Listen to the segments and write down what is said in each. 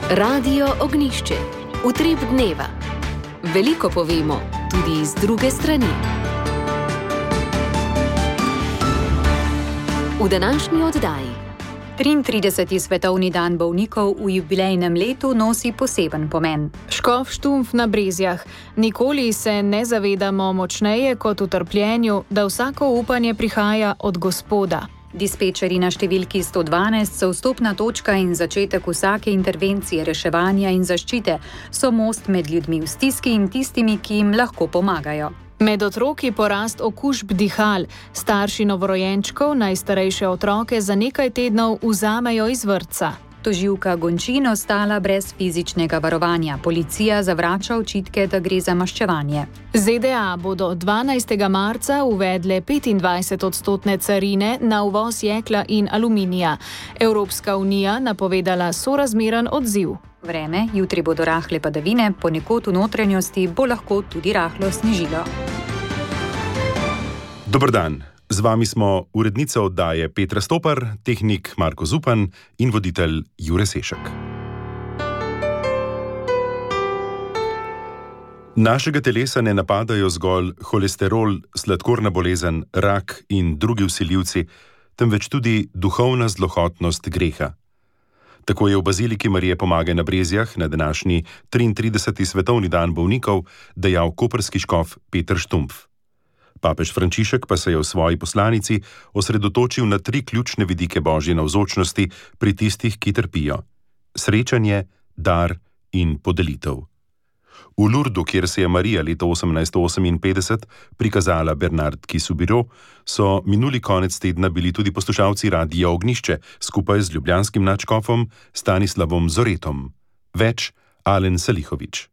Radio Ognišče, utrip dneva. Veliko povemo, tudi iz druge strani. V današnji oddaji 33. svetovni dan bolnikov v jubilejnem letu nosi poseben pomen. Škof Štumpf na Brezjah. Nikoli se ne zavedamo močneje kot v trpljenju, da vsako upanje prihaja od Gospoda. Dispečeri na številki 112 so vstopna točka in začetek vsake intervencije reševanja in zaščite, so most med ljudmi v stiski in tistimi, ki jim lahko pomagajo. Med otroki porast okužb dihal, starši novorojenčkov najstarejše otroke za nekaj tednov vzamejo iz vrtca. Tožilka Gončin ostala brez fizičnega varovanja. Policija zavrača očitke, da gre za maščevanje. ZDA bodo 12. marca uvedle 25% carine na uvoz jekla in aluminija. Evropska unija napovedala sorazmeren odziv. Vreme, jutri bodo rahle padavine, ponekod v notranjosti bo lahko tudi rahlo snežilo. Dober dan. Z vami smo urednica oddaje Petra Stopar, tehnik Marko Zupan in voditelj Jure Sešek. Našega telesa ne napadajo zgolj holesterol, sladkorna bolezen, rak in drugi vsiljivci, temveč tudi duhovna zlohotnost greha. Tako je v Baziliki Marije Pomagaj na Brezjah na današnji 33. svetovni dan bolnikov dejal koprski škof Peter Štumpf. Papež Frančišek pa se je v svoji poslanici osredotočil na 3 ključne vidike Božje navzočnosti pri tistih, ki trpijo: srečanje, dar in podelitev. V Lurdu, kjer se je Marija leta 1858 prikazala Bernardki Soubirous, so minuli konec tedna bili tudi poslušalci Radia Ognišče skupaj z ljubljanskim nadškofom Stanislavom Zoretom. Več Alen Salihović.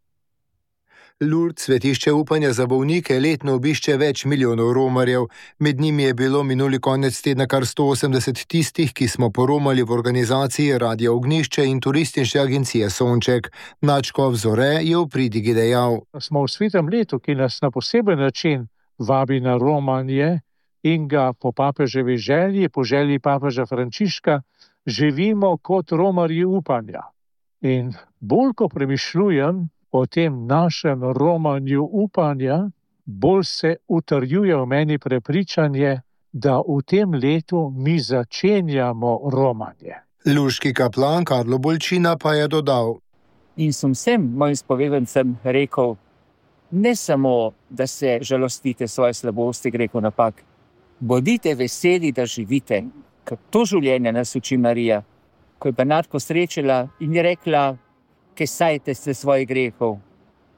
Lourdes, svetišče upanja za bolnike, letno obišče več milijonov romarjev. Med njimi je bilo minuli konec tedna kar 180 tistih, ki smo poromali v organizaciji Radia Ognišče in turistične agencije Sonček. Nadškof Zore je v pridigi dejal: Smo v svetem letu, ki nas na poseben način vabi na romanje in ga po papeževi želji, po želji papeža Frančiška, živimo kot romarji upanja. In bolj ko premišljujem o tem našem romanju upanja, bolj se utrjuje v meni prepričanje, da v tem letu mi začenjamo romanje. Luški kaplan Karlo Bolčina pa je dodal: In sem vsem mojim spovedancem rekel, ne samo, da se žalostite svoje slabosti, grehov, napak, bodite veseli, da živite, ker to življenje nas uči Marija. Ko je Bernardko srečala in je rekla, kaj sajte se svojih grehov,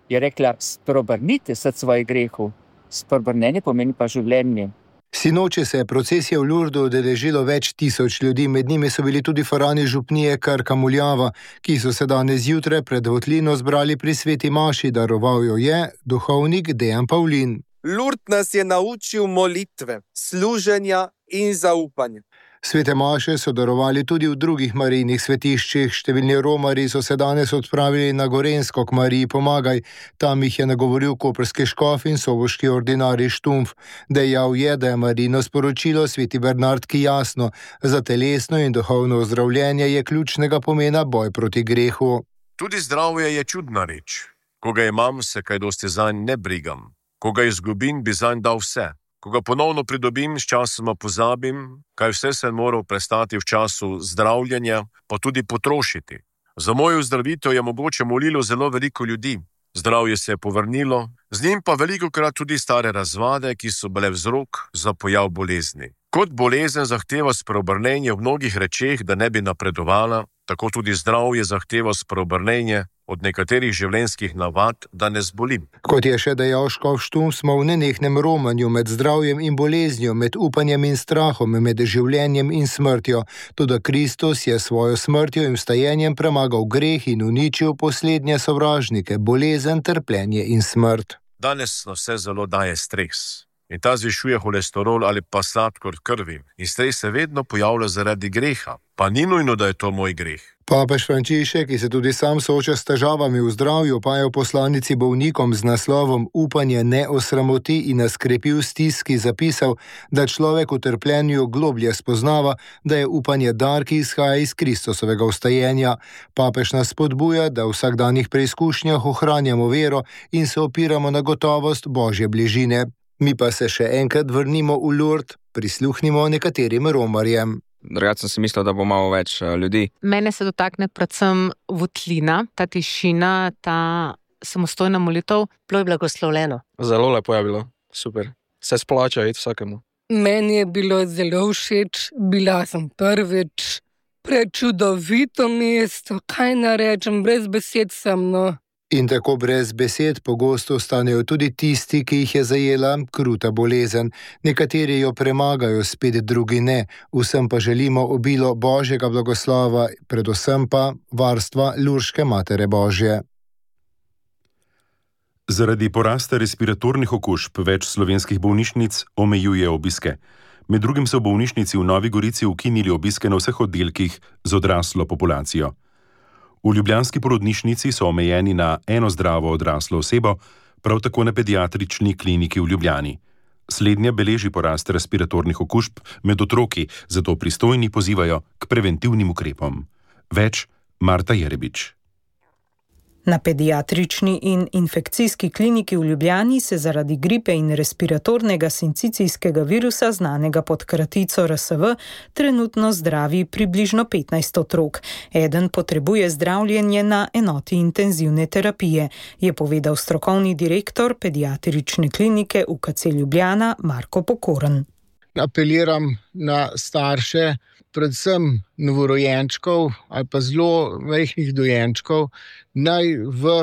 je rekla, spreobrnite se svojih grehov. Spreobrnenje pomeni pa življenje. Sinoči se je procesija v Lourdu udeležilo več tisoč ljudi, med njimi so bili tudi farani župnije Krka Muljava, ki so se danes zjutraj pred votlino zbrali pri sveti maši, daroval jo je duhovnik Dejan Pavlin. Lourdes nas je naučil molitve, služenja in zaupanja. Svete maše so darovali tudi v drugih marijnih svetiščih. Številni romarji so se danes odpravili na Gorenjsko k Mariji Pomagaj. Tam jih je nagovoril koprski škof in soboški ordinarij Štumpf. Dejal je, da je Marijino sporočilo sveti Bernardki jasno. Za telesno in duhovno ozdravljenje je ključnega pomena boj proti grehu. Tudi zdravje je čudna reč. Ko ga imam, se kaj dosti zanj ne brigam. Ko ga izgubim, bi zanj dal vse. Ko ga ponovno pridobim, s časoma pozabim, kaj vse sem moral prestati v času zdravljenja, pa tudi potrošiti. Za mojo zdravitev je mogoče molilo zelo veliko ljudi. Zdravje se je povrnilo, z njim pa velikokrat tudi stare razvade, ki so bile vzrok za pojav bolezni. Kot bolezen zahteva spreobrnenje v mnogih rečeh, da ne bi napredovala, tako tudi zdravje zahteva spreobrnenje od nekaterih življenjskih navad, da ne zbolim. Kot je še dejal škof Štumpf, smo v nenehnem romanju med zdravjem in boleznjo, med upanjem in strahom, med življenjem in smrtjo. Toda Kristus je svojo smrtjo in vstajenjem premagal greh in uničil poslednje sovražnike, bolezen, trpljenje in smrt. Danes nas vse zelo daje stres. in ta zvišuje holesterol ali pa sladkor krvi. In stres se vedno pojavlja zaradi greha, pa ni nujno, da je to moj greh. Papež Frančišek, ki se tudi sam sooča s težavami v zdravju, pa je v poslanici bolnikom z naslovom Upanje ne osramoti in nas krepi v stiski zapisal, da človek v trpljenju globlje spoznava, da je upanje dar, ki izhaja iz Kristusovega vstajenja. Papež nas spodbuja, da v vsakdanjih preizkušnjah ohranjamo vero in se opiramo na gotovost Božje bližine. Mi pa se še enkrat vrnimo v Lourdes, prisluhnimo nekaterim romarjem. Drugače sem si mislil, da bo malo več ljudi. Mene se dotakne predvsem votlina, ta tišina, ta samostojna molitev. Bilo je blagoslovljeno. Zelo lepo je bilo, super. Se splača iti vsakemu. Meni je bilo zelo všeč, bila sem prvič, prečudovito mesto, kaj narečem, brez besed sem, no. In tako brez besed pogosto ostanejo tudi tisti, ki jih je zajela kruta bolezen. Nekateri jo premagajo, spet drugi ne. Vsem pa želimo obilo Božjega blagoslova, predvsem pa varstva Lurške Matere Božje. Zaradi porasta respiratornih okužb več slovenskih bolnišnic omejuje obiske. Med drugim so v bolnišnici v Novi Gorici ukinili obiske na vseh oddelkih z odraslo populacijo. V ljubljanski porodnišnici so omejeni na eno zdravo odraslo osebo, prav tako na pediatrični kliniki v Ljubljani. Slednja beleži porast respiratornih okužb med otroki, zato pristojni pozivajo k preventivnim ukrepom. Več Marta Jerebič. Na pediatrični in infekcijski kliniki v Ljubljani se zaradi gripe in respiratornega sincicijskega virusa, znanega pod kratico RSV, trenutno zdravi približno 15 otrok. Eden potrebuje zdravljenje na enoti intenzivne terapije, je povedal strokovni direktor pediatrične klinike UKC Ljubljana Marko Pokorn. Apeliram na starše, predvsem novorojenčkov ali pa zelo majhnih dojenčkov, naj v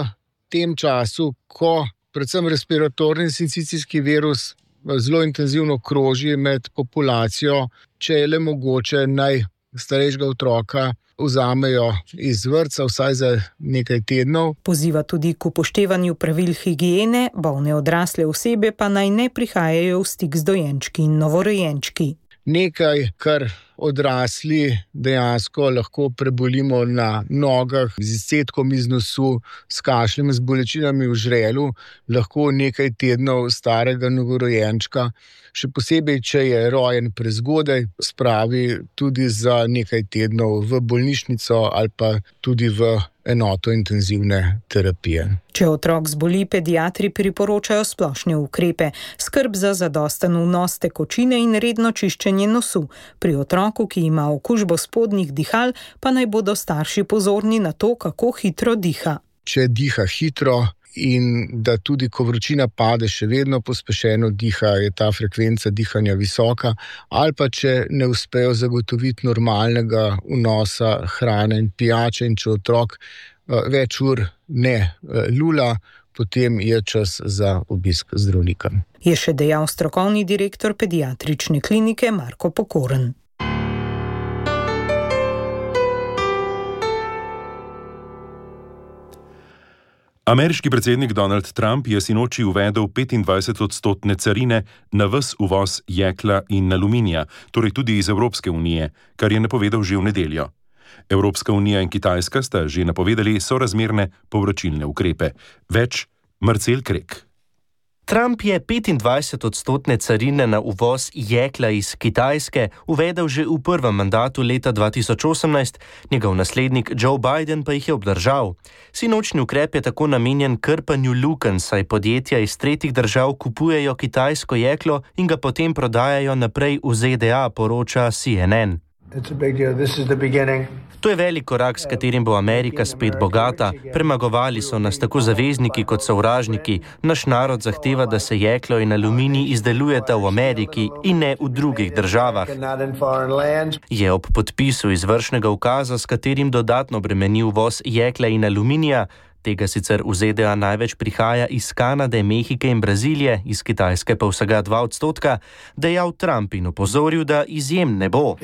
tem času, ko predvsem respiratorni sincicijski virus zelo intenzivno kroži med populacijo, če je le mogoče, naj starejšega otroka vzamejo iz vrtca vsaj za nekaj tednov. Poziva tudi k upoštevanju pravil higiene, bolne odrasle osebe pa naj ne prihajajo v stik z dojenčki in novorojenčki. Nekaj, kar odrasli dejansko lahko prebolimo na nogah, z izcedkom iz nosu, s kašljem, z bolečinami v žrelu, lahko nekaj tednov starega novorojenčka, še posebej, če je rojen prezgodaj, spravi tudi za nekaj tednov v bolnišnico ali pa tudi v enoto intenzivne terapije. Če otrok zboli, pediatri priporočajo splošne ukrepe, skrb za zadosten vnos tekočine in redno čiščenje nosu. Pri otroku, ki ima okužbo spodnjih dihal, pa naj bodo starši pozorni na to, kako hitro diha. Če diha hitro in da tudi, ko vročina pade, še vedno pospešeno diha, je ta frekvenca dihanja visoka, ali pa če ne uspejo zagotoviti normalnega vnosa hrane in pijače in če otrok več ur ne lula, potem je čas za obisk zdravnika. Je še dejal strokovni direktor pediatrične klinike Marko Pokorn. Ameriški predsednik Donald Trump je sinoči uvedel 25% carine na ves uvoz jekla in aluminija, torej tudi iz Evropske unije, kar je napovedal že v nedeljo. Evropska unija in Kitajska sta že napovedali sorazmerne povračilne ukrepe. Več Marcel Krek. Trump je 25% carine na uvoz jekla iz Kitajske uvedel že v prvem mandatu leta 2018, njegov naslednik Joe Biden pa jih je obdržal. Sinočni ukrep je tako namenjen krpanju lukenj, saj podjetja iz tretjih držav kupujejo kitajsko jeklo in ga potem prodajajo naprej v ZDA, poroča CNN. To je velik korak, s katerim bo Amerika spet bogata. Premagovali so nas tako zavezniki kot sovražniki. Naš narod zahteva, da se jeklo in aluminij izdelujeta v Ameriki in ne v drugih državah. Je ob podpisu izvršnega ukaza, s katerim dodatno bremeni uvoz jekla in aluminija, tega sicer v ZDA največ prihaja iz Kanade, Mehike in Brazilije, iz Kitajske pa vsega 2%, dejal Trump in opozoril, da izjem ne bo.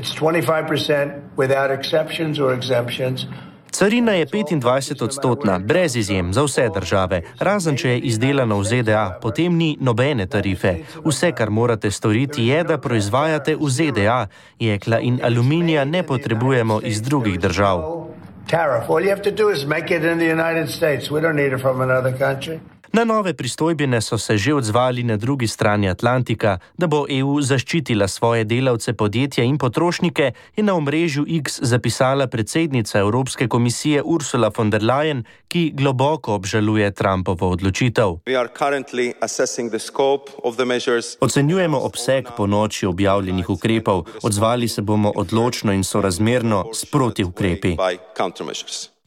Carina je 25-odstotna, brez izjem za vse države, razen če je izdelana v ZDA, potem ni nobene tarife. Vse, kar morate storiti, je, da proizvajate v ZDA. Jekla in aluminija ne potrebujemo iz drugih držav. Na nove pristojbine so se že odzvali na drugi strani Atlantika. Da bo EU zaščitila svoje delavce, podjetja in potrošnike, je na omrežju X zapisala predsednica Evropske komisije Ursula von der Leyen, ki globoko obžaluje Trumpovo odločitev. Ocenjujemo obseg ponoči objavljenih ukrepov, odzvali se bomo odločno in sorazmerno s protiukrepi,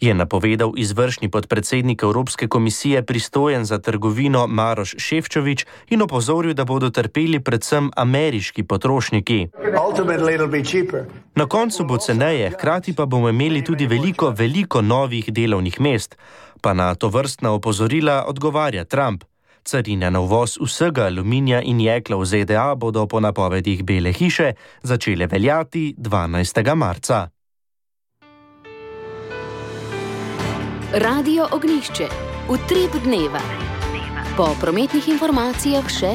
je napovedal izvršni podpredsednik Evropske komisije pristojen za trgovino Maroš Šefčovič in opozoril, da bodo trpeli predvsem ameriški potrošniki. Na koncu bo ceneje, hkrati pa bomo imeli tudi veliko novih delovnih mest. Pa na tovrstna opozorila odgovarja Trump. Carine na uvoz vsega aluminija in jekla v ZDA bodo po napovedih Bele hiše začele veljati 12. marca. Radio Ognjišče. Utrip dneva. Po prometnih informacijah še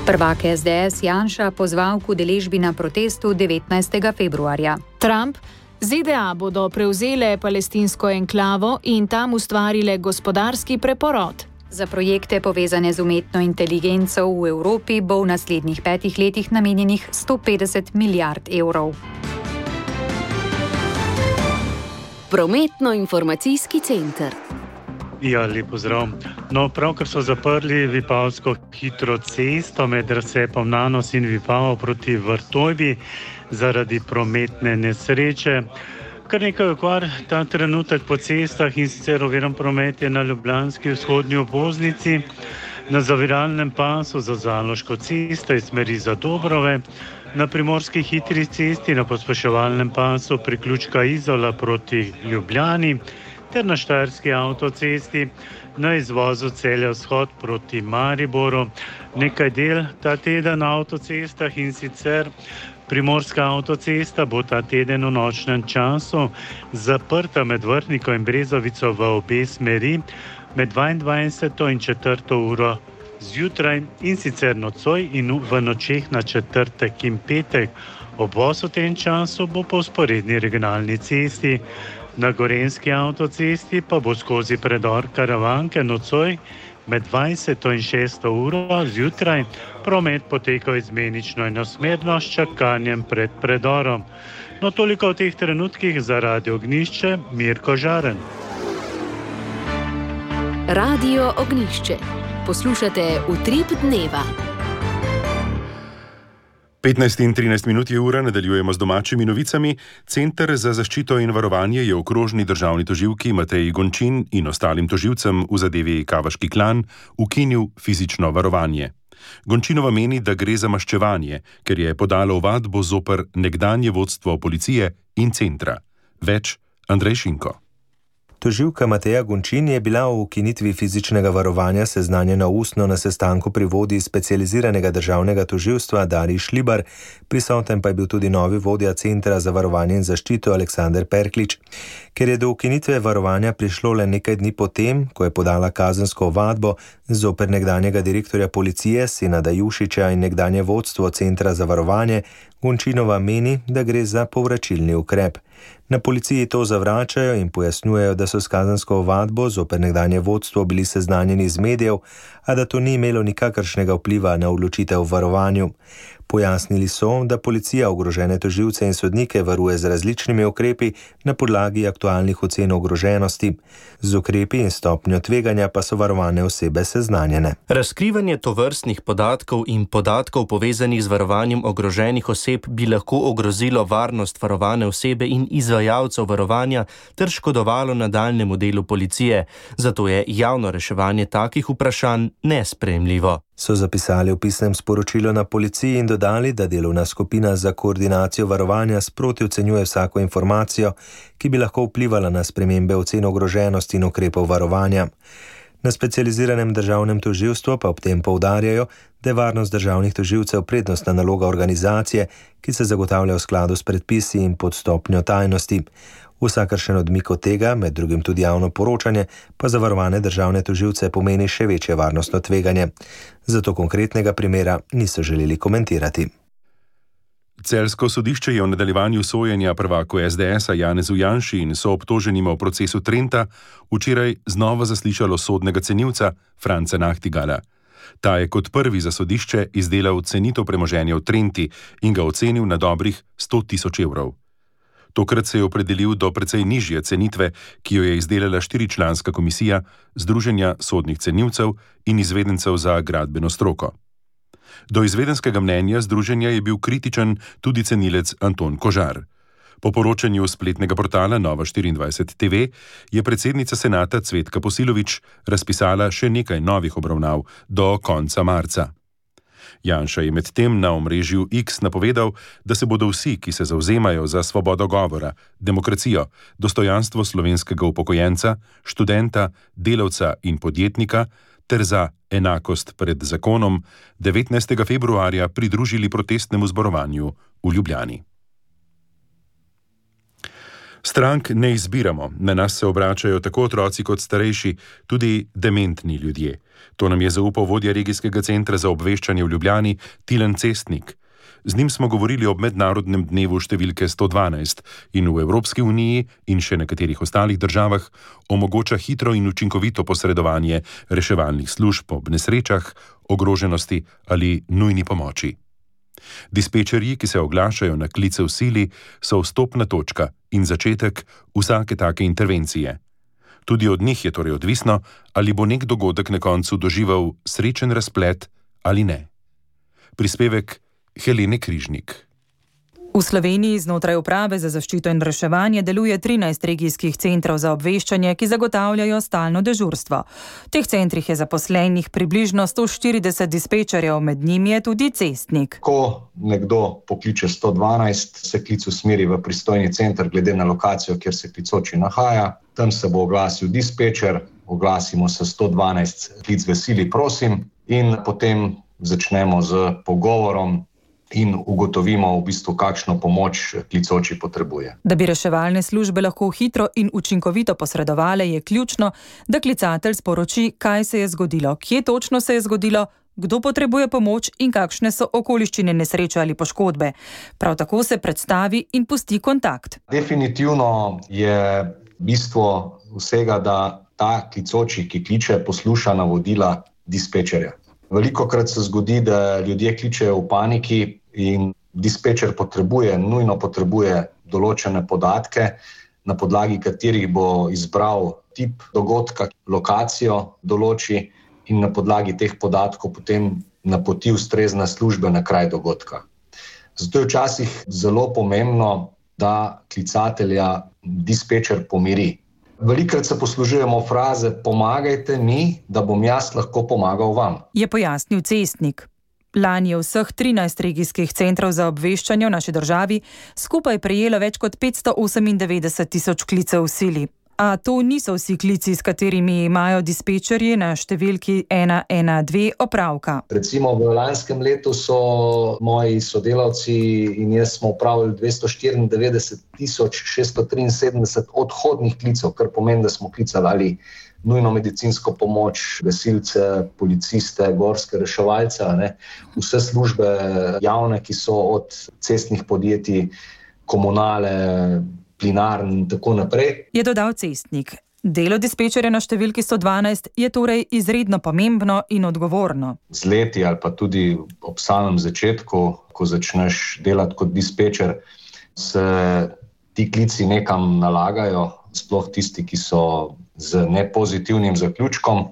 prvak SDS Janša pozval k udeležbi na protestu 19. februarja. Trump: ZDA bodo prevzele palestinsko enklavo in tam ustvarile gospodarski preporod. Za projekte povezane z umetno inteligenco v Evropi bo v naslednjih 5 letih namenjenih 150 milijard evrov. Prometno-informacijski center. Ja, lep pozdrav. No, pravkar so zaprli vipavsko hitro cesto med razcepom Nanos in Vipavo proti Vrtojbi zaradi prometne nesreče. Kar nekaj okvar ta trenutek po cestah in sicer oviran promet je na ljubljanski vzhodnji obvoznici, na zaviralnem pasu za Zaloško cesto iz smeri za Dobrove, na primorski hitri cesti na pospeševalnem pasu priključka Izola proti Ljubljani ter na štajerski avtocesti na izvozu Celja vzhod proti Mariboru. Nekaj del ta teden na avtocestah in sicer primorska avtocesta bo ta teden v nočnem času zaprta med Vrhniko in Brezovico v obe smeri med 22. in 4. uro zjutraj in sicer nocoj in v nočeh na četrtek in petek. Obvoz v tem času bo po vzporedni regionalni cesti. Na gorenjski avtocesti pa bo skozi predor Karavanke nocoj med 20. in 6. uro zjutraj promet potekal izmenično in osmerno s čakanjem pred predorom. No, toliko v teh trenutkih za Radio Ognjišče, Mirko Žaren. Radio Ognjišče. Poslušate Utrip dneva. 15 in 13 minut je ura, nadaljujemo z domačimi novicami. Center za zaščito in varovanje je okrožni državni tožilki Mateji Gončin in ostalim tožilcem v zadevi Kavaški klan ukinil fizično varovanje. Gončinova meni, da gre za maščevanje, ker je podala ovadbo zoper nekdanje vodstvo policije in centra. Več Andrej Šinko. Tožilka Mateja Gončin je bila o ukinitvi fizičnega varovanja seznanjena ustno na sestanku pri vodji specializiranega državnega tožilstva Darji Šlibar, prisoten pa je bil tudi novi vodja Centra za varovanje in zaščito Aleksander Perklič. Ker je do ukinitve varovanja prišlo le nekaj dni potem, ko je podala kazensko ovadbo zoper nekdanjega direktorja policije Senada Jušića in nekdanje vodstvo Centra za varovanje, Gončinova meni, da gre za povračilni ukrep. Na policiji to zavračajo in pojasnjujejo, da so s kazensko ovadbo zoper nekdanje vodstvo bili seznanjeni iz medijev, a da to ni imelo nikakršnega vpliva na odločitev o varovanju. Pojasnili so, da policija ogrožene tožilce in sodnike varuje z različnimi ukrepi na podlagi aktualnih ocen ogroženosti. Z ukrepi in stopnjo tveganja pa so varovane osebe seznanjene. Razkrivanje tovrstnih podatkov in podatkov povezanih z varovanjem ogroženih oseb bi lahko ogrozilo varnost varovane osebe in izvajalcev varovanja ter škodovalo nadaljnjemu delu policije. Zato je javno reševanje takih vprašanj nesprejemljivo. So zapisali v pisnem sporočilu na policiji in dodali, da delovna skupina za koordinacijo varovanja sproti ocenjuje vsako informacijo, ki bi lahko vplivala na spremembe ocen ogroženosti in ukrepov varovanja. Na specializiranem državnem tožilstvu pa ob tem poudarjajo, da je varnost državnih tožilcev prednostna naloga organizacije, ki se zagotavlja v skladu s predpisi in pod stopnjo tajnosti. Vsakršen odmik od tega, med drugim tudi javno poročanje, pa za varovane državne tožilce pomeni še večje varnostno tveganje. Zato konkretnega primera niso želeli komentirati. Celjsko sodišče je v nadaljevanju sojenja prvaku SDS-a Janezu Janši in soobtoženima v procesu Trenta včeraj znova zaslišalo sodnega cenilca Franca Nachtigala. Ta je kot prvi za sodišče izdelal cenitev premoženja v Trenti in ga ocenil na dobrih 100.000 evrov. Tokrat se je opredelil do precej nižje cenitve, ki jo je izdelala 4-članska komisija Združenja sodnih cenilcev in izvedencev za gradbeno stroko. Do izvedenskega mnenja združenja je bil kritičen tudi cenilec Anton Kožar. Po poročanju spletnega portala Nova24 TV je predsednica senata Cvetka Posilović razpisala še nekaj novih obravnav do konca marca. Janša je medtem na omrežju X napovedal, da se bodo vsi, ki se zavzemajo za svobodo govora, demokracijo, dostojanstvo slovenskega upokojenca, študenta, delavca in podjetnika ter za enakost pred zakonom, 19. februarja pridružili protestnemu zborovanju v Ljubljani. Strank ne izbiramo, na nas se obračajo tako otroci kot starejši, tudi dementni ljudje. To nam je zaupal vodja regijskega centra za obveščanje v Ljubljani Tilen Cestnik. Z njim smo govorili ob mednarodnem dnevu številke 112 in v Evropski uniji in še nekaterih ostalih državah omogoča hitro in učinkovito posredovanje reševalnih služb ob nesrečah, ogroženosti ali nujni pomoči. Dispečerji, ki se oglašajo na klice v sili, so vstopna točka in začetek vsake take intervencije. Tudi od njih je torej odvisno, ali bo nek dogodek na koncu doživel srečen razplet ali ne. Prispevek Helene Križnik. V Sloveniji znotraj Uprave za zaščito in reševanje deluje 13 regijskih centrov za obveščanje, ki zagotavljajo stalno dežurstvo. V teh centrih je zaposlenih približno 140 dispečerjev, med njimi je tudi Cestnik. Ko nekdo pokliče 112, se klic usmeri v pristojni center glede na lokacijo, kjer se klicoči nahaja. Tam se bo oglasil dispečer, oglasimo se 112, klic v sili, prosim, in potem začnemo z pogovorom in ugotovimo v bistvu, kakšno pomoč klicoči potrebuje. Da bi reševalne službe lahko hitro in učinkovito posredovale, je ključno, da klicatelj sporoči, kaj se je zgodilo, kje točno se je zgodilo, kdo potrebuje pomoč in kakšne so okoliščine nesreče ali poškodbe. Prav tako se predstavi in pusti kontakt. Definitivno je bistvo vsega, da ta klicoči, ki kliče, posluša navodila dispečerja. Velikokrat se zgodi, da ljudje kličejo v paniki in dispečer nujno potrebuje določene podatke, na podlagi katerih bo izbral tip dogodka, lokacijo določi in na podlagi teh podatkov potem napoti ustrezne službe na kraj dogodka. Zato je včasih zelo pomembno, da klicatelja dispečer pomiri. Velikokrat se poslužujemo fraze pomagajte mi, da bom jaz lahko pomagal vam. Je pojasnil Cestnik. Lani je vseh 13 regijskih centrov za obveščanje v naši državi skupaj prejelo več kot 598.000 klicev v sili. A to niso vsi klici, s katerimi imajo dispečerji na številki 112 opravka. Recimo v lanskem letu so moji sodelavci in jaz smo opravili 294.673 odhodnih klicev, kar pomeni, da smo klicali nujno medicinsko pomoč, gasilce, policiste, gorske reševalce, vse službe javne, ki so od cestnih podjetij, komunale, plinarn in tako naprej. Je dodal Cestnik. Delo dispečerja na številki 112 je torej izredno pomembno in odgovorno. Z leti ali pa tudi ob samem začetku, ko začneš delati kot dispečer, se ti klici nekam nalagajo, sploh tisti, ki so z nepozitivnim zaključkom,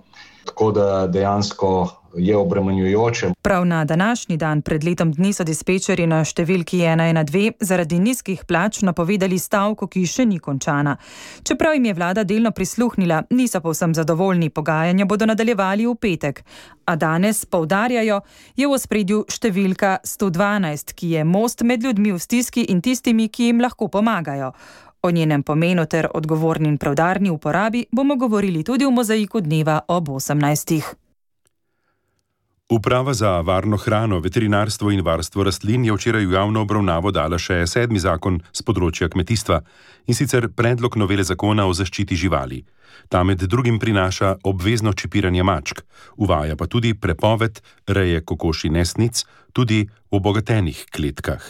tako da dejansko je obremenjujoče. Prav na današnji dan pred letom dni so dispečerji na številki 112 zaradi nizkih plač napovedali stavko, ki še ni končana. Čeprav jim je vlada delno prisluhnila, niso povsem zadovoljni, pogajanja bodo nadaljevali v petek. A danes, poudarjajo, je v ospredju številka 112, ki je most med ljudmi v stiski in tistimi, ki jim lahko pomagajo. O njenem pomenu ter odgovorni in preudarni uporabi bomo govorili tudi v mozaiku dneva ob 18. Uprava za varno hrano, veterinarstvo in varstvo rastlin je včeraj v javno obravnavo dala še 7. zakon z področja kmetijstva, in sicer predlog novele zakona o zaščiti živali. Ta med drugim prinaša obvezno čipiranje mačk, uvaja pa tudi prepoved reje kokoši nesnic tudi v obogatenih kletkah.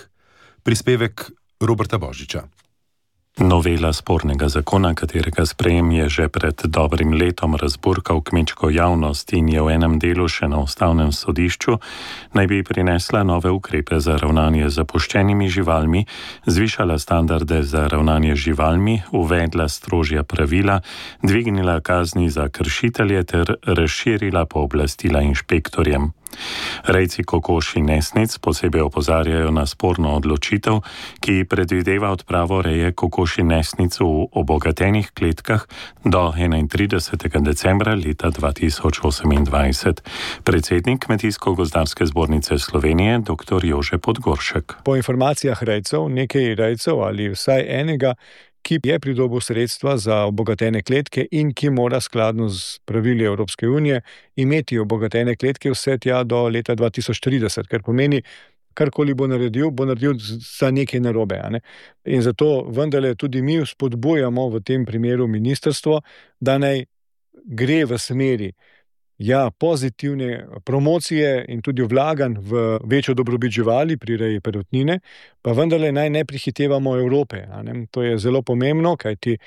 Prispevek Roberta Božiča. Novela spornega zakona, katerega sprejem je že pred dobrim letom razburkal kmečko javnost in je v enem delu še na ustavnem sodišču, naj bi prinesla nove ukrepe za ravnanje z zapuščenimi živalmi, zvišala standarde za ravnanje z živalmi, uvedla strožja pravila, dvignila kazni za kršitelje ter razširila pooblastila inšpektorjem. Rejci kokoši nesnic posebej opozarjajo na sporno odločitev, ki predvideva odpravo reje kokoši nesnic v obogatenih kletkah do 31. decembra leta 2028. Predsednik Kmetijsko-gozdarske zbornice Slovenije, dr. Jože Podgoršek. Po informacijah rejcev, nekaj rejcev ali vsaj enega, ki je pridobil sredstva za obogatene kletke in ki mora skladno z pravili Evropske unije imeti obogatene kletke vse tja do leta 2030, kar pomeni, karkoli bo naredil za nekaj narobe. In zato vendarle tudi mi spodbujamo v tem primeru ministrstvo, da naj gre v smeri pozitivne promocije in tudi vlaganj v večjo dobrobit živali pri reji perutnine, pa vendarle naj ne prehitevamo Evrope. To je zelo pomembno, kajti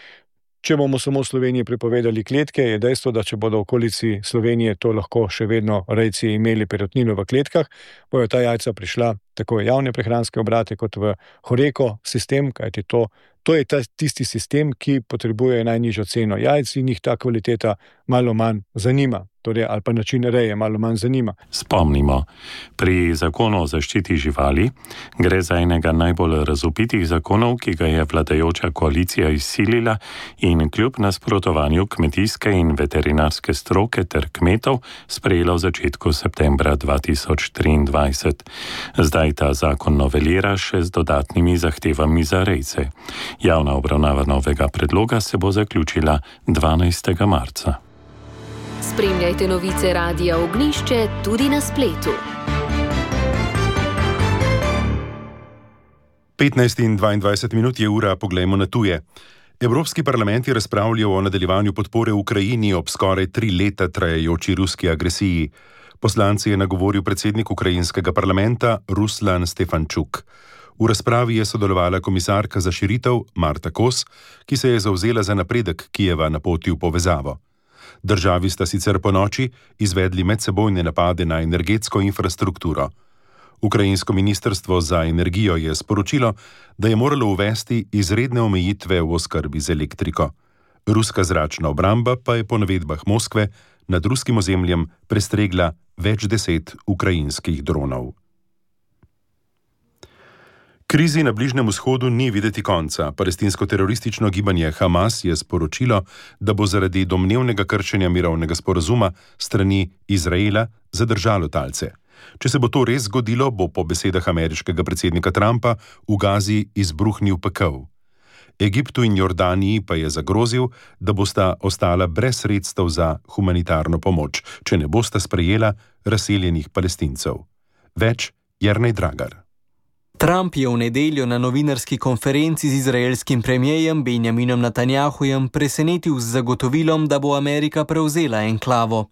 če bomo samo v Sloveniji prepovedali kletke, je dejstvo, da če bodo v okolici Slovenije to lahko še vedno rejci imeli perutnino v kletkah, bojo ta jajca prišla tako v javne prehranske obrate kot v Horeko sistem, kajti to je tisti sistem, ki potrebuje najnižjo ceno jajc in jih ta kvaliteta malo manj zanima. Ali pa način reje malo manj zanima. Spomnimo, pri zakonu o zaščiti živali gre za enega najbolj razvpitih zakonov, ki ga je vladajoča koalicija izsilila in kljub nasprotovanju kmetijske in veterinarske stroke ter kmetov sprejela v začetku septembra 2023. Zdaj ta zakon novelira še z dodatnimi zahtevami za rejce. Javna obravnava novega predloga se bo zaključila 12. marca. Spremljajte novice Radia Ognišče tudi na spletu. 15 in 22 minut je ura, poglejmo na tuje. Evropski parlament je razpravljal o nadaljevanju podpore Ukrajini ob skoraj 3 leta trajajoči ruski agresiji. Poslanci je nagovoril predsednik ukrajinskega parlamenta Ruslan Stefančuk. V razpravi je sodelovala komisarka za širitev Marta Kos, ki se je zavzela za napredek Kijeva na poti v povezavo. Državi sta sicer ponoči izvedli medsebojne napade na energetsko infrastrukturo. Ukrajinsko ministrstvo za energijo je sporočilo, da je moralo uvesti izredne omejitve v oskrbi z elektriko. Ruska zračna obramba pa je po navedbah Moskve nad ruskim ozemljem prestregla več 10 ukrajinskih dronov. Krizi na Bližnjem vzhodu ni videti konca. Palestinsko-teroristično gibanje Hamas je sporočilo, da bo zaradi domnevnega kršenja mirovnega sporazuma strani Izraela zadržalo talce. Če se bo to res zgodilo, bo po besedah ameriškega predsednika Trumpa v Gazi izbruhnil pekel. Egiptu in Jordaniji pa je zagrozil, da bosta ostala brez sredstev za humanitarno pomoč, če ne bosta sprejela razseljenih Palestincev. Več Jernej Dragar. Trump je v nedeljo na novinarski konferenci z izraelskim premijejem Benjaminom Netanjahujem presenetil z zagotovilom, da bo Amerika prevzela enklavo.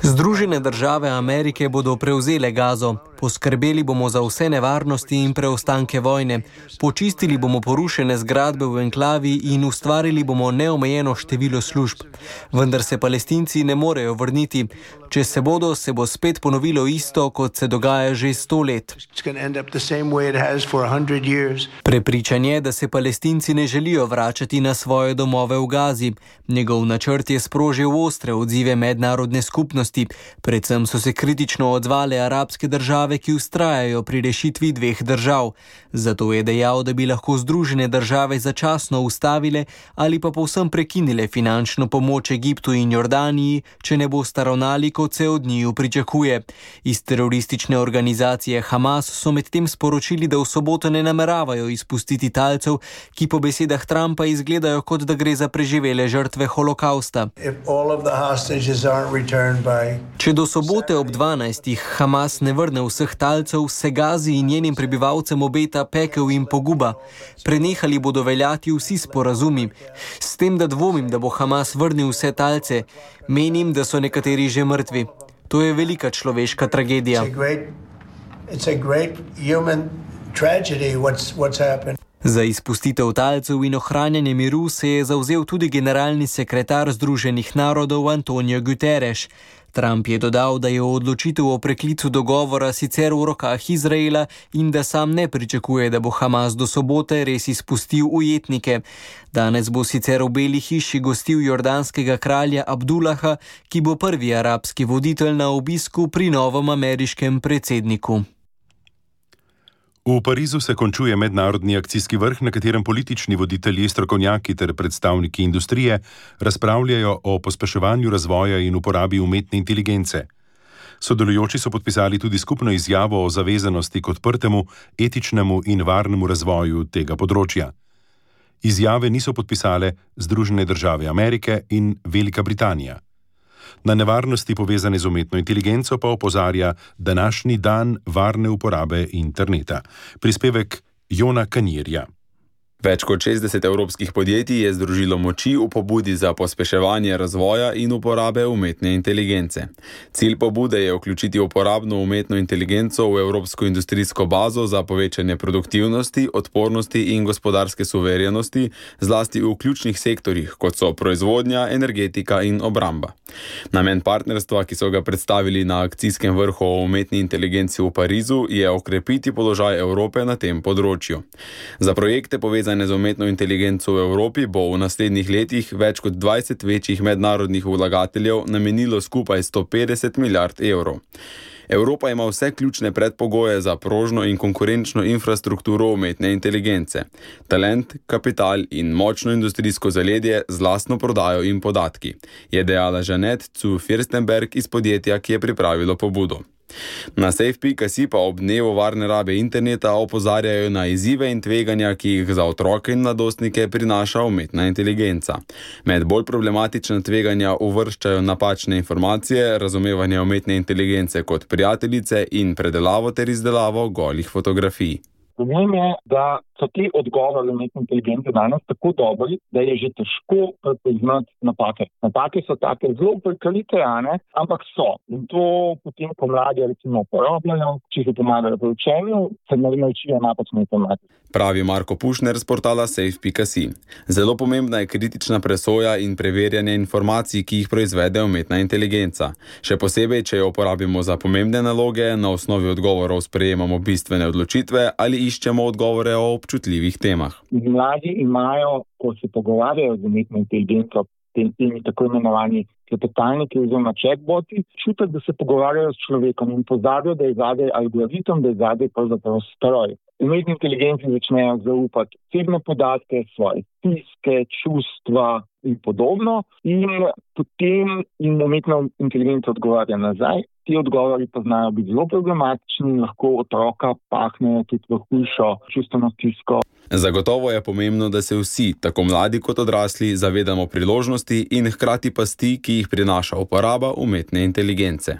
Združene države Amerike bodo prevzele Gazo. Poskrbeli bomo za vse nevarnosti in preostanke vojne. Počistili bomo porušene zgradbe v enklavi in ustvarili bomo neomejeno število služb. Vendar se Palestinci ne morejo vrniti. Če se bodo, se bo spet ponovilo isto, kot se dogaja že 100 let. Prepričan je, da se Palestinci ne želijo vračati na svoje domove v Gazi. Njegov načrt je sprožil ostre odzive mednarodne skupnosti. Predvsem so se kritično odzvale arabske države, ki vztrajajo pri rešitvi 2 držav. Zato je dejal, da bi lahko Združene države začasno ustavile ali pa povsem prekinile finančno pomoč Egiptu in Jordaniji, če ne bosta ravnali, kot se od njiju pričakuje. Iz teroristične organizacije organizacije Hamas so medtem sporočili, da v soboto ne nameravajo izpustiti talcev, ki po besedah Trumpa izgledajo, kot da gre za preživele žrtve holokausta. Če do sobote ob 12. Hamas ne vrne vseh talcev, se Gazi in njenim prebivalcem obeta pekel in poguba. Prenehali bodo veljati vsi sporazumi. S tem, da dvomim, da bo Hamas vrnil vse talce, menim, da so nekateri že mrtvi. To je velika človeška tragedija. Za izpustitev talcev in ohranjanje miru se je zavzel tudi generalni sekretar Združenih narodov Antonio Guterres. Trump je dodal, da je odločitev o preklicu dogovora sicer v rokah Izraela in da sam ne pričakuje, da bo Hamas do sobote res izpustil ujetnike. Danes bo sicer v Beli hiši gostil jordanskega kralja Abdullaha, ki bo prvi arabski voditelj na obisku pri novem ameriškem predsedniku. V Parizu se končuje mednarodni akcijski vrh, na katerem politični voditelji, strokovnjaki ter predstavniki industrije razpravljajo o pospeševanju razvoja in uporabi umetne inteligence. Sodelujoči so podpisali tudi skupno izjavo o zavezanosti k odprtemu, etičnemu in varnemu razvoju tega področja. Izjave niso podpisale Združene države Amerike in Velika Britanija. Na nevarnosti povezane z umetno inteligenco pa opozarja današnji dan varne uporabe interneta. Prispevek Jona Kanirja. Več kot 60 evropskih podjetij je združilo moči v pobudi za pospeševanje razvoja in uporabe umetne inteligence. Cilj pobude je vključiti uporabno umetno inteligenco v evropsko industrijsko bazo za povečanje produktivnosti, odpornosti in gospodarske suverenosti, zlasti v ključnih sektorjih, kot so proizvodnja, energetika in obramba. Namen partnerstva, ki so ga predstavili na akcijskem vrhu o umetni inteligenci v Parizu, je okrepiti položaj Evrope na tem področju. Za projekte povezane z umetno inteligenco v Evropi bo v naslednjih letih več kot 20 večjih mednarodnih vlagateljev namenilo skupaj 150 milijard evrov. Evropa ima vse ključne predpogoje za prožno in konkurenčno infrastrukturo umetne inteligence. Talent, kapital in močno industrijsko zaledje z lastno prodajo in podatki, je dejala Jeanette zu Firstenberg iz podjetja, ki je pripravilo pobudo. Na safe.si pa ob dnevu varne rabe interneta opozarjajo na izzive in tveganja, ki jih za otroke in mladostnike prinaša umetna inteligenca. Med bolj problematična tveganja uvrščajo napačne informacije, razumevanje umetne inteligence kot prijateljice in predelavo ter izdelavo golih fotografij. Problem je, da so ti odgovori umetne inteligence danes tako dobri, da je že težko prepoznati napake. Napake so take zelo prekalite, ampak so. In to potem, ko mladi recimo uporabljajo, če se pomagajo pri učenju, se naučijo napačne informacije. Pravi Marko Pušner z portala safe.si. Zelo pomembna je kritična presoja in preverjanje informacij, ki jih proizvede umetna inteligenca. Še posebej, če jo uporabimo za pomembne naloge, na osnovi odgovorov sprejemamo bistvene odločitve ali iščemo odgovore o občutljivih temah. Mladi imajo, ko se pogovarjajo z umetno inteligenco, temi tako imenovani klepetalniki oziroma chatboti, čutek, da se pogovarjajo s človekom in pozabijo, da je zadaj algoritem, da je zadaj pravzaprav stroj. Umetni inteligenci začnejo zaupati osebne podatke, svoje stiske, čustva in podobno, in potem jim umetna inteligenca odgovarja nazaj. Ti odgovori pa znajo biti zelo problematični in lahko otroka pahnejo tudi v hujšo čustveno stisko. Zagotovo je pomembno, da se vsi, tako mladi kot odrasli, zavedamo priložnosti in hkrati pasti, ki jih prinaša uporaba umetne inteligence.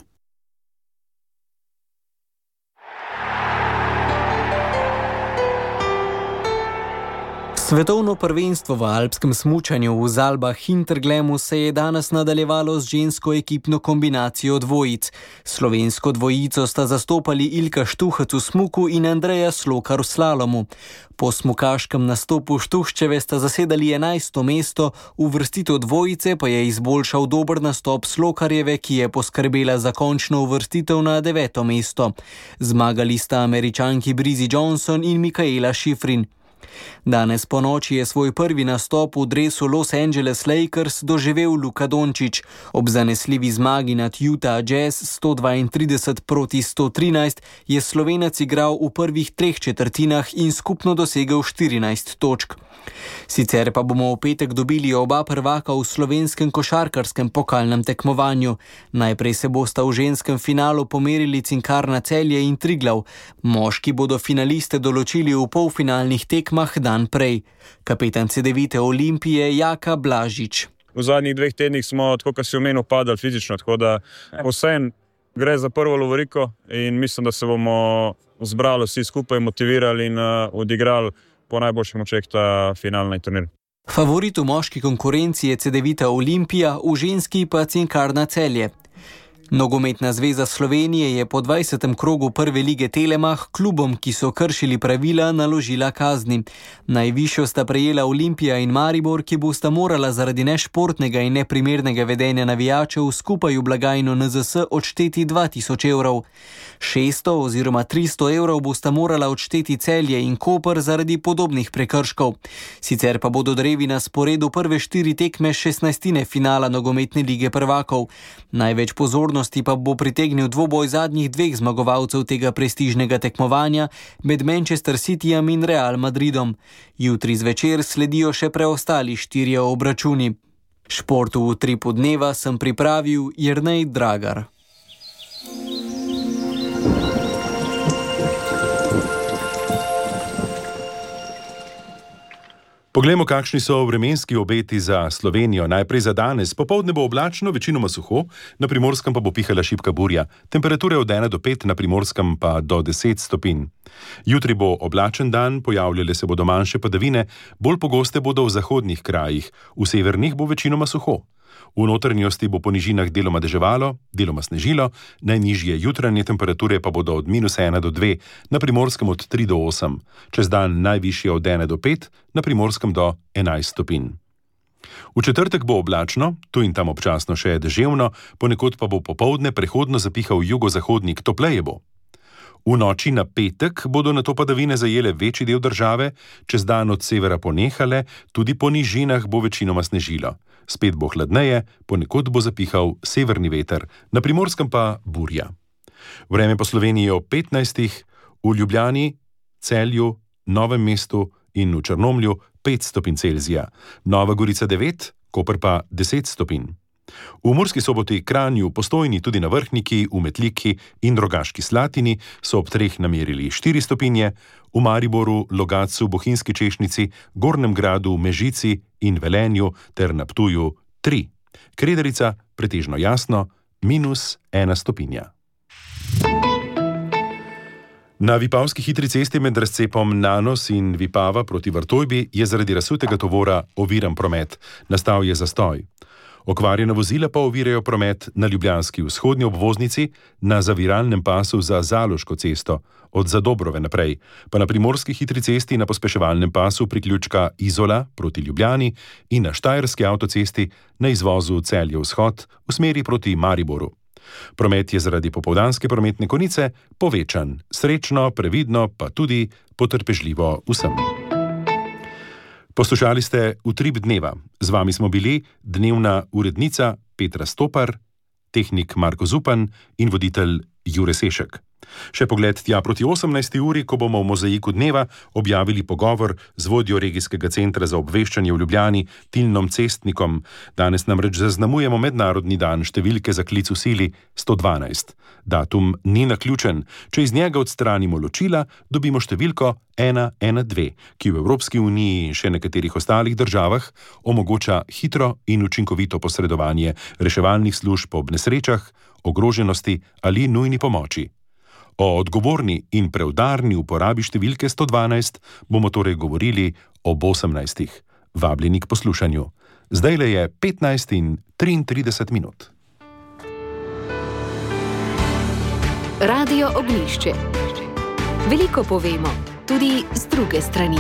Svetovno prvenstvo v alpskem smučanju v Zalbah Hinterglemu se je danes nadaljevalo z žensko ekipno kombinacijo dvojic. Slovensko dvojico sta zastopali Ilka Štuhec v smuku in Andreja Slokar v slalomu. Po smukaškem nastopu Štuhčeve sta zasedali 11. mesto, uvrstitev dvojice pa je izboljšal dober nastop Slokarjeve, ki je poskrbela za končno uvrstitev na 9. mesto. Zmagali sta Američanki Brizzy Johnson in Mikaela Schifrin. Danes po noči je svoj prvi nastop v dresu Los Angeles Lakers doživel Luka Dončić. Ob zanesljivi zmagi nad Utah Jazz 132-113 je Slovenec igral v prvih 3 četrtinah in skupno dosegel 14 točk. Sicer pa bomo v petek dobili oba prvaka v slovenskem košarkarskem pokalnem tekmovanju. Najprej se bosta v ženskem finalu pomerili Cinkarna Celje in Triglav. Moški bodo finaliste določili v polfinalnih tekmah dan prej. Kapetan Cedevite Olimpije Jaka Blažič. V zadnjih 2 tednih smo, tako kot si omenil, padali fizično, tako da vseeno gre za prvo lovoriko in mislim, da se bomo zbrali vsi skupaj, motivirali in odigrali po najboljših močeh ta finalni turnir. Favorit v moški konkurenci je Cedevita Olimpija, v ženski pa Cinkarna Celje. Nogometna zveza Slovenije je po 20. krogu prve lige Telemach klubom, ki so kršili pravila, naložila kazni. Najvišjo sta prejela Olimpija in Maribor, ki bosta morala zaradi nešportnega in neprimernega vedenja navijačev skupaj v blagajno NZS odšteti 2000 evrov. 600 oziroma 300 evrov bosta morala odšteti Celje in Koper zaradi podobnih prekrškov. Sicer pa bodo drevi na sporedu prve 4 tekme 16. finala nogometne lige prvakov. Največ pozornosti pa bo pritegnil dvoboj zadnjih 2 zmagovalcev tega prestižnega tekmovanja med Manchester Cityjem in Real Madridom. Jutri zvečer sledijo še preostali 4 obračuni. Športu v Utripu dneva sem pripravil Jernej Dragar. Poglejmo, kakšni so vremenski obeti za Slovenijo. Najprej za danes. Popoldne bo oblačno, večinoma suho, na Primorskem pa bo pihala šibka burja. Temperature od 1 do 5, na Primorskem pa do 10 stopinj. Jutri bo oblačen dan, pojavljale se bodo manjše padavine, bolj pogoste bodo v zahodnih krajih, v severnih bo večinoma suho. V notranjosti bo po nižinah deloma deževalo, deloma snežilo, najnižje jutranje temperature pa bodo od -1 do 2, na Primorskem od 3 do 8, čez dan najvišje od 1 do 5, na Primorskem do 11 stopinj. V četrtek bo oblačno, tu in tam občasno še deževno, ponekod pa bo popoldne prehodno zapihal jugozahodnik, topleje bo. V noči na petek bodo nato padavine zajele večji del države, čez dan od severa ponehale, tudi po nižinah bo večinoma snežilo. Spet bo hladneje, ponekod bo zapihal severni veter, na Primorskem pa burja. Vreme po Sloveniji ob 15, v Ljubljani, Celju, Novem mestu in v Črnomlju 5 stopinj Celzija, Nova Gorica 9, Koper pa 10 stopinj. V Murski Soboti, Kranju, Postojni, tudi na Vrhniki, v Metliki in Rogaški Slatini so ob 3 namerili 4 stopinje, v Mariboru, Logatcu, Bohinjski Češnici, Gornjem Gradu, Mežici in Velenju ter na Ptuju 3. Kredarica pretežno jasno, -1 stopinja. Na Vipavski hitri cesti med razcepom Nanos in Vipava proti Vrtojbi je zaradi razsutega tovora oviran promet, nastal je zastoj. Okvarjena vozila pa ovirajo promet na ljubljanski vzhodni obvoznici, na zaviralnem pasu za Zaloško cesto, od Zadobrove naprej, pa na primorski hitri cesti na pospeševalnem pasu priključka Izola proti Ljubljani in na Štajerski avtocesti na izvozu Celje vzhod v smeri proti Mariboru. Promet je zaradi popoldanske prometne konice povečan, srečno, previdno, pa tudi potrpežljivo vsem. Poslušali ste Utrip dneva. Z vami smo bili dnevna urednica Petra Stopar, tehnik Marko Zupan in voditelj Jure Sešek. Še pogled tja proti 18. uri, ko bomo v Mozaiku dneva objavili pogovor z vodjo regijskega centra za obveščanje v Ljubljani, Tilnom Cestnikom. Danes namreč zaznamujemo mednarodni dan številke za klic v sili 112. Datum ni naključen. Če iz njega odstranimo ločila, dobimo številko 112, ki v Evropski uniji in še nekaterih ostalih državah omogoča hitro in učinkovito posredovanje reševalnih služb ob nesrečah, ogroženosti ali nujni pomoči. O odgovorni in preudarni uporabi številke 112 bomo torej govorili ob 18. Vabljeni k poslušanju. Zdajle je 15:33. Radio Ognjišče. Veliko povemo, tudi z druge strani.